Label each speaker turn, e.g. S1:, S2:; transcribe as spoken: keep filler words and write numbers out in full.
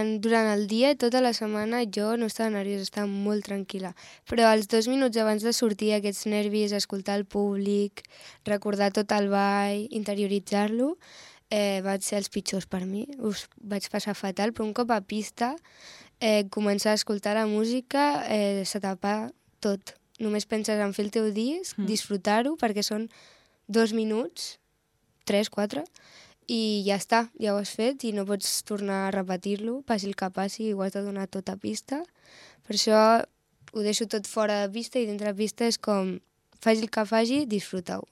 S1: plan, durant el dia, tota la setmana, jo no estava nerviosa, estava molt tranquil·la. Però els dos minuts abans de sortir, aquests nervis, escoltar el públic, recordar tot el ball, interioritzar-lo, eh, van ser els pitjors per mi. Us vaig passar fatal, però un cop a pista, eh, començar a escoltar la música, eh, se t'apaga tot. Només penses en fer el teu disc, mm. disfrutar-ho, perquè són dos minuts, tres, quatre, i ja està, ja ho has fet i no pots tornar a repetir-lo, passi el que passi, ho has de donar tot a pista. Per això ho deixo tot fora de pista i dintre de pista és com, faci el que faci, disfruta-ho.